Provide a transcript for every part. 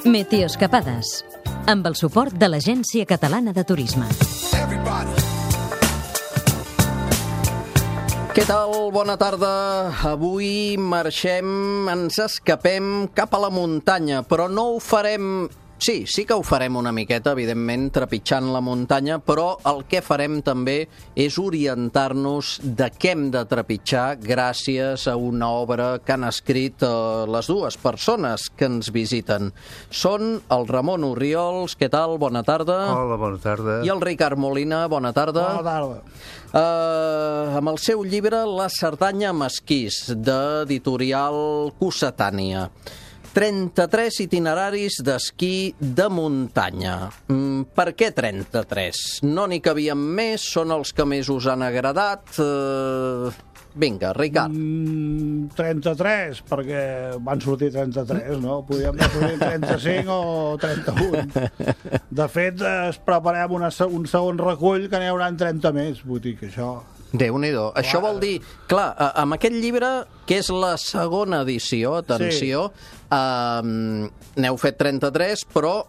Meteoescapades, amb el suport de l'Agència Catalana de Turisme. Què tal? Bona tarda. Avui marxem, ens escapem cap a la muntanya, però no ho farem... Sí que ho farem una miqueta, evidentment, trepitjant la muntanya, però el que farem també és orientar-nos de què hem de trepitjar gràcies a una obra que han escrit les dues persones que ens visiten. Són el Ramon Orriols, què tal? Bona tarda. Hola, bona tarda. I el Ricard Molina, bona tarda. Bona tarda. Amb el seu llibre La Cerdanya amb esquís, d'editorial Cossetània. 33 itineraris d'esquí de muntanya. Per què 33? No n'hi cabien més? Són els que més us han agradat? Vinga, Ricard. 33, perquè van sortir 33, no? Podríem haver sortit 35 o 31. De fet, es preparem un segon recull que n'hi haurà 30 més. Vull dir que això... Déu-n'hi-do. Això vol dir... Clar, amb aquest llibre, que és la segona edició, atenció, n'heu fet 33, però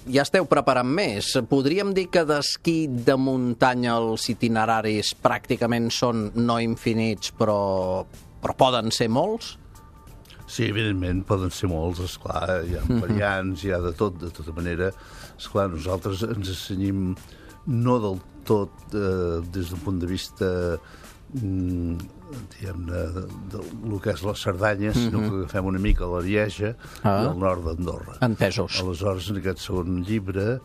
ja esteu preparant més. Podríem dir que d'esquí de muntanya els itineraris pràcticament són no infinits, però poden ser molts? Sí, evidentment, poden ser molts, esclar, hi ha variants, hi ha de tot, de tota manera. Esclar, nosaltres ens assenyim no del tot des d'un punt de vista diguem-ne del que és la Cerdanya, sinó que agafem una mica la Lieja i el nord d'Andorra. Entesos. Aleshores, en aquest segon llibre,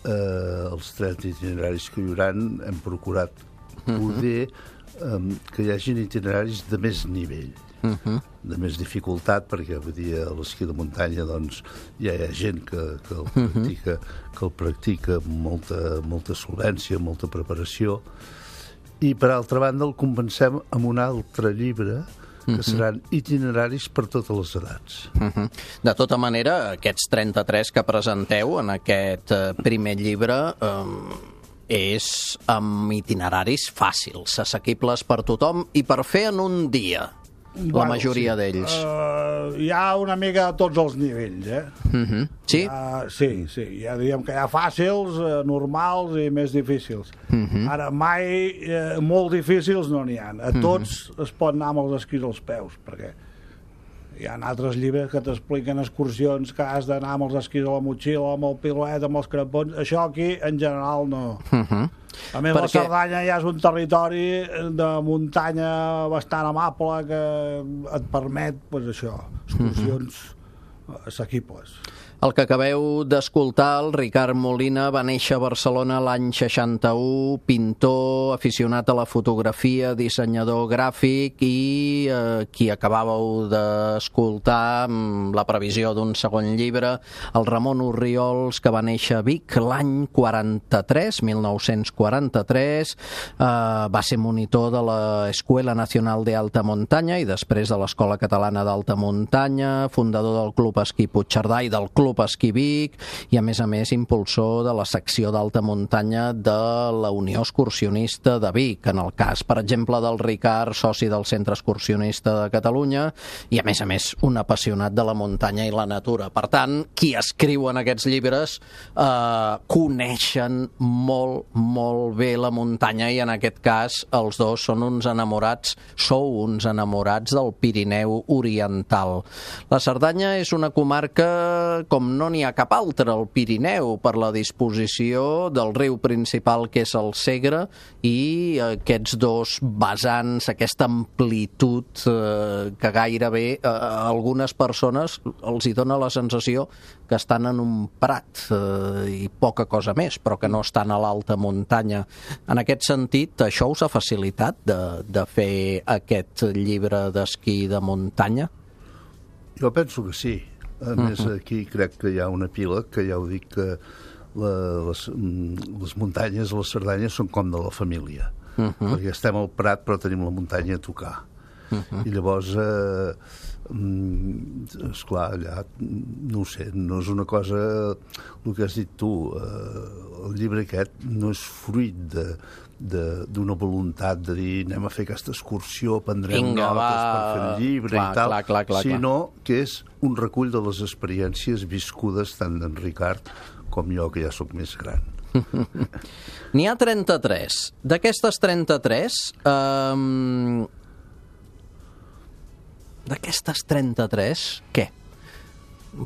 els 30 itineraris que hi haurà, hem procurat poder que hi hagin itineraris de més nivell, de més dificultat, perquè vull dir, a l'esquí de muntanya doncs, ja hi ha gent que el practica amb molta solvència, amb molta preparació, i per altra banda el compensem amb un altre llibre que seran itineraris per totes les edats. De tota manera, aquests 33 que presenteu en aquest primer llibre és amb itineraris fàcils, assequibles per tothom i per fer en un dia. La majoria d'ells. Hi ha una mica a tots els nivells, Sí? Sí. Ja diríem que hi ha fàcils, normals i més difícils. Ara, mai molt difícils no n'hi ha. A tots es pot anar amb els esquís als peus, perquè hi ha altres llibres que t'expliquen excursions que has d'anar amb els esquís a la motxilla, amb el piloet, amb els crampons. Això aquí, en general, no. A més, la Cerdanya ja és un territori de muntanya bastant amable que et permet, doncs això, excursions assequibles. El que acabeu d'escoltar, el Ricard Molina, va néixer a Barcelona l'any 61, pintor, aficionat a la fotografia, dissenyador gràfic i qui acabàveu d'escoltar la previsió d'un segon llibre, el Ramon Orriols, que va néixer a Vic l'any 43, 1943, va ser monitor de l'Escuela Nacional de Alta Muntanya i després de l'Escola Catalana d'Alta Muntanya, fundador del Club Esquí Puigcerdà i del Club Esquí Vic i, a més, impulsor de la secció d'alta muntanya de la Unió Excursionista de Vic, en el cas, per exemple, del Ricard, soci del Centre Excursionista de Catalunya i, a més, un apassionat de la muntanya i la natura. Per tant, qui escriu en aquests llibres coneixen molt bé la muntanya i, en aquest cas, els dos són sou uns enamorats del Pirineu Oriental. La Cerdanya és una comarca com no n'hi ha cap altra al Pirineu, per la disposició del riu principal, que és el Segre, i aquests dos vessants, aquesta amplitud que gairebé a algunes persones els hi dona la sensació que estan en un prat i poca cosa més, però que no estan a l'alta muntanya. En aquest sentit, això us ha facilitat de fer aquest llibre d'esquí de muntanya? Jo penso que sí. A més, aquí crec que hi ha una pila que ja ho dic que les muntanyes a la Cerdanya són com de la família. Perquè estem al Prat però tenim la muntanya a tocar. I llavors, esclar, allà, no ho sé, no és una cosa... El que has dit tu, el llibre aquest no és fruit d'una voluntat de dir anem a fer aquesta excursió, prendrem notes per fer el llibre i tal, sinó que és un recull de les experiències viscudes tant d'en Ricard com jo, que ja sóc més gran. N'hi ha 33. D'aquestes 33... D'aquestes 33, què?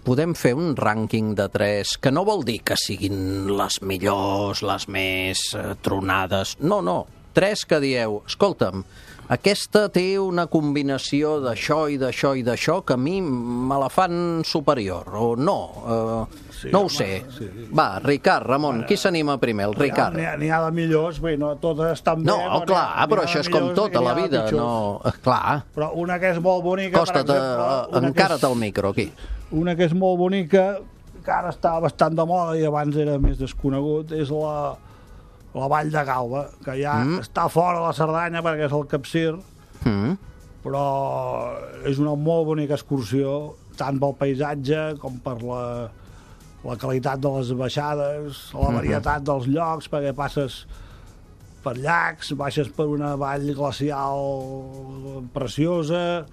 Podem fer un rànquing de 3, que no vol dir que siguin les millors, les més tronades. No, 3 que dieu, escolta'm, aquesta té una combinació d'això i d'això i d'això que a mi me la fan superior, o no, no ho sé. Sí. Va, Ricard, Ramon, qui s'anima primer? El Ricard. N'hi ha de millors, bé, no totes estan bé. No, clar, però això és com tot a la vida, no... Clar. Però una que és molt bonica, Costa't, per exemple... encara't el micro, aquí. Una que és molt bonica, que ara està bastant de moda i abans era més desconegut, és la Vall de Galba, que ja està fora de la Cerdanya perquè és el Capcir, però és una molt bonica excursió, tant pel paisatge com per la qualitat de les baixades, la varietat dels llocs, perquè passes per llacs, baixes per una vall glacial preciosa,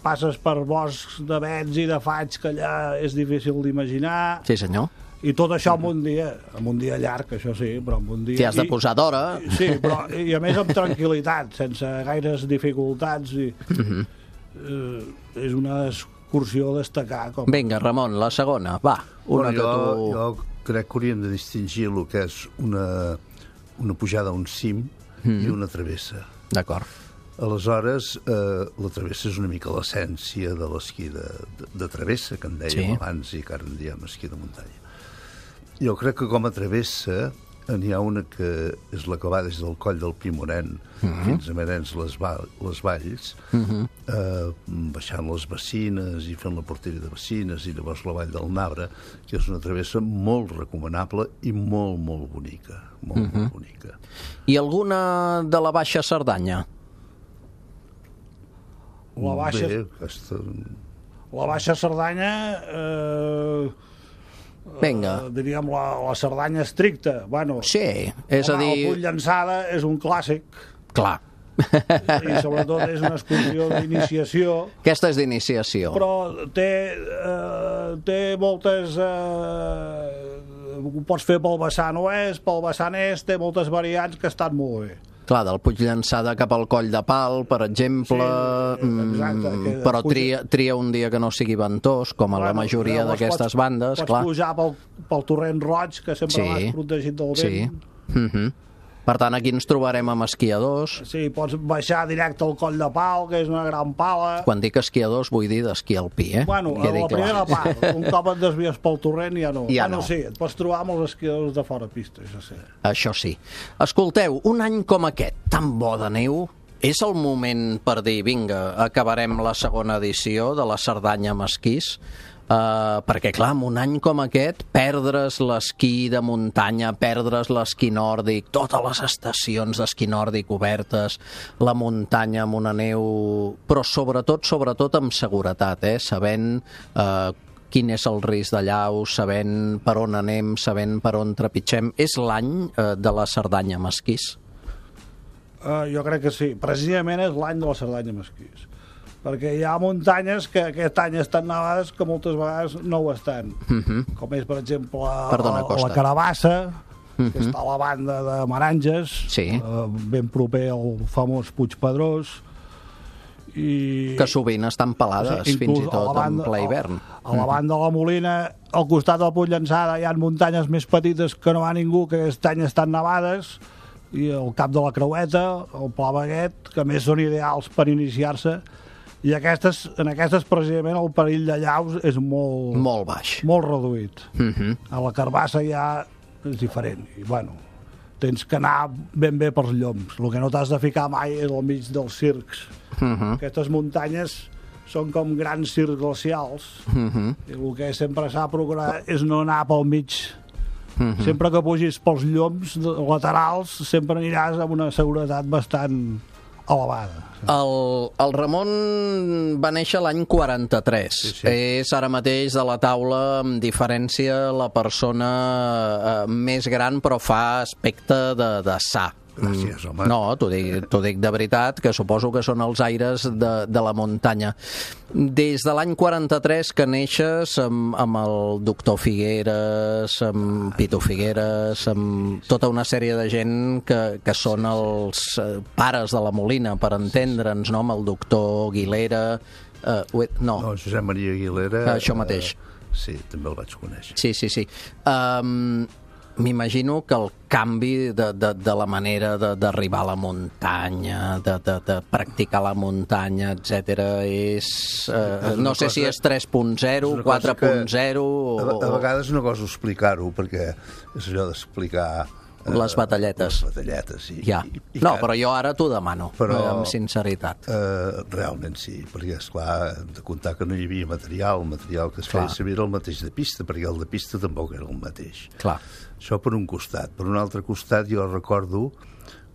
passes per boscs d'avets i de faigs que allà és difícil d'imaginar. Sí, senyor. I tot això en un dia llarg, això sí, però en un dia... T'hi has de posar d'hora. Sí, però i a més amb tranquil·litat, sense gaires dificultats. És una excursió a destacar. Vinga, Ramon, la segona, va. Jo crec que hauríem de distingir el que és una pujada a un cim i una travessa. D'acord. Aleshores, la travessa és una mica l'essència de l'esquí de travessa, que en dèiem abans i que ara en diem esquí de muntanya. Jo crec que com a travessa n'hi ha una que és la que va des del coll del Pimoren fins a Merens les Valls, baixant les Bacines i fent la portella de Bacines i llavors la Vall del Nabre, que és una travessa molt recomanable i molt, molt bonica. Molt bonica. I alguna de la Baixa Cerdanya? La Baixa Cerdanya... Vinga. Diríem la Cerdanya estricta. Bueno, sí, és a dir... El Puig Llançada és un clàssic. Clar. I sobretot és una excursió d'iniciació. Aquesta és d'iniciació. Però té moltes... Ho pots fer pel vessant oest, pel vessant est, té moltes variants que estan molt bé. Clar, del Puig Llançada cap al Coll de Pal, per exemple, exacte, però tria un dia que no sigui ventós, com a la majoria d'aquestes bandes. Pots pujar pel Torrent Roig, que sempre vas protegit del vent. Sí. Per tant, aquí ens trobarem amb esquiadors. Sí, pots baixar directe al Coll de Pal, que és una gran pala. Quan dic esquiadors vull dir d'esquí alpí, Bueno, a la primera part. Un cop et desvies pel torrent ja no. No. Sí, et pots trobar amb els esquiadors de fora pista, això sí. Això sí. Escolteu, un any com aquest, tan bo de neu, és el moment per dir, vinga, acabarem la segona edició de la Cerdanya amb esquís, perquè clar, en un any com aquest perdre's l'esquí de muntanya, perdre's l'esquí nòrdic, totes les estacions d'esquí nòrdic obertes, la muntanya amb una neu, però sobretot amb seguretat, sabent quin és el risc de llau, sabent per on anem, sabent per on trepitgem. És l'any de la Cerdanya amb esquís? Jo crec que sí, precisament és l'any de la Cerdanya amb esquís, perquè hi ha muntanyes que aquest any estan nevades que moltes vegades no ho estan, com és per exemple la Carabassa, que està a la banda de Meranges, ben proper al famós Puig Pedrós, que sovint estan pelades, fins i tot en ple hivern. A la banda de la Molina, al costat del Puig Llançada, hi ha muntanyes més petites que no va ningú, que aquest any estan nevades, i el Cap de la Creueta, el Pla Baguet, que més són ideals per iniciar-se. I en aquestes precisament el perill de llaus és molt baix, molt reduït. A la Carbassa ja és diferent i bueno, tens que anar ben bé pels lloms. El que no t'has de ficar mai és al mig dels circs. Aquestes muntanyes són com grans circs glacials i el que sempre s'ha de procurar és no anar pel mig. Sempre que pugis pels lloms laterals sempre aniràs amb una seguretat bastant elevada. El Ramon va néixer l'any 43. Sí. És ara mateix de la taula, amb diferència, la persona més gran, però fa aspecte de sa. Gràcies, home. No, t'ho dic de veritat, que suposo que són els aires de la muntanya. Des de l'any 43 que neixes amb el doctor Figueres, amb Pitu Figueres, amb tota una sèrie de gent que són els pares de la Molina, per entendre'ns, no? Amb el doctor Aguilera... No, Josep Maria Aguilera... Això mateix. Sí, també el vaig conèixer. Sí. M'imagino que el canvi de la manera d'arribar a la muntanya, de practicar la muntanya, etc. és... no sé si és 3.0, 4.0... A vegades és una cosa explicar-ho, perquè és allò d'explicar... Les batalletes. Les batalletes, sí. Ja. No, però jo ara t'ho demano, amb sinceritat. Realment sí, perquè, esclar, hem de comptar que no hi havia material. El material que es feia servir era el mateix de pista, perquè el de pista tampoc era el mateix. Clar. Això per un costat. Per un altre costat, jo recordo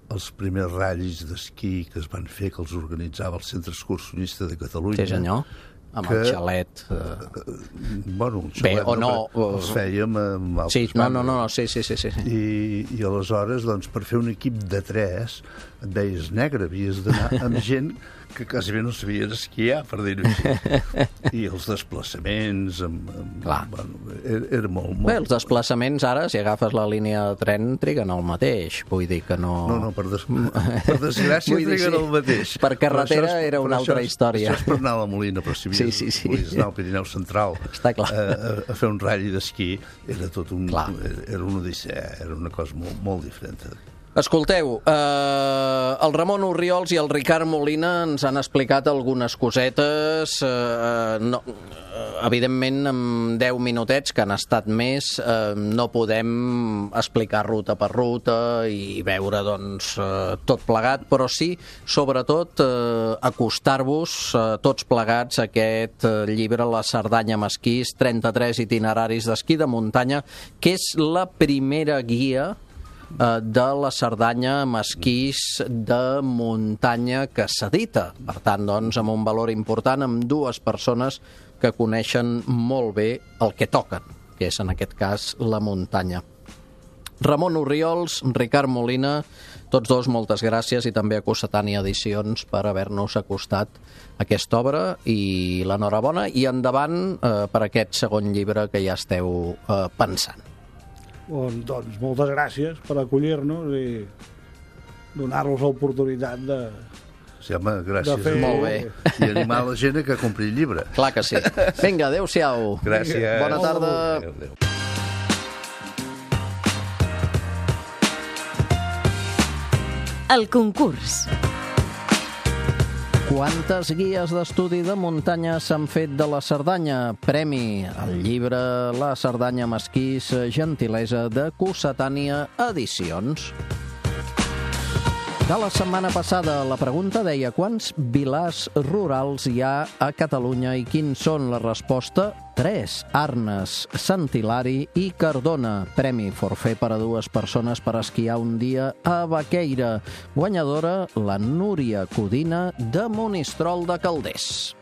els primers ratllis d'esquí que es van fer, que els organitzava el Centre Excursionista de Catalunya. Sí, senyor. Amb el xalet. Bueno, el xalet. Bé, o no. Els fèiem amb altres bandes. Sí. I aleshores, doncs, per fer un equip de 3, et veies negre, havies d'anar amb gent que quasi bé no sabien esquiar, per dir-ho així. I els desplaçaments... Bueno, era molt... Bé, els desplaçaments ara, si agafes la línia de tren, triguen el mateix. Vull dir que no... No, per desgràcia triguen el mateix. Per carretera era una altra història. Això és per anar a la Molina, però si volies anar al Pirineu Central a fer un ratll d'esquí, era tot un... Era una odissea, era una cosa molt diferent. Escolteu, el Ramon Orriols i el Ricard Molina ens han explicat algunes cosetes, evidentment amb 10 minutets, que han estat més, no podem explicar ruta per ruta i veure doncs, tot plegat, però sí, sobretot, acostar-vos tots plegats a aquest llibre, La Cerdanya amb esquís, 33 itineraris d'esquí de muntanya, que és la primera guia de la Cerdanya amb esquís de muntanya que s'edita. Per tant, doncs, amb un valor important, amb dues persones que coneixen molt bé el que toquen, que és, en aquest cas, la muntanya. Ramon Orriols, Ricard Molina, tots dos, moltes gràcies, i també a Cossetània Edicions per haver-nos acostat aquesta obra, i l'enhorabona, i endavant per aquest segon llibre que ja esteu pensant. Doncs moltes gràcies per acollir-nos i donar-nos l'oportunitat de... Sí, home, gràcies. Fer... Molt bé. I animar la gent a que compri el llibre. Clar que sí. Vinga, adéu-siau. Gràcies. Bona tarda. Adéu. El concurs. Quantes guies d'estudi de muntanya s'han fet de la Cerdanya? Premi al llibre La Cerdanya amb esquís, gentilesa de Cossetània Edicions. De la setmana passada, la pregunta deia quants vilars rurals hi ha a Catalunya i quins són? La resposta: 3. Arnes, Sant Hilari i Cardona. Premi forfait per a 2 persones per esquiar un dia a Baqueira. Guanyadora, la Núria Codina de Monistrol de Calders.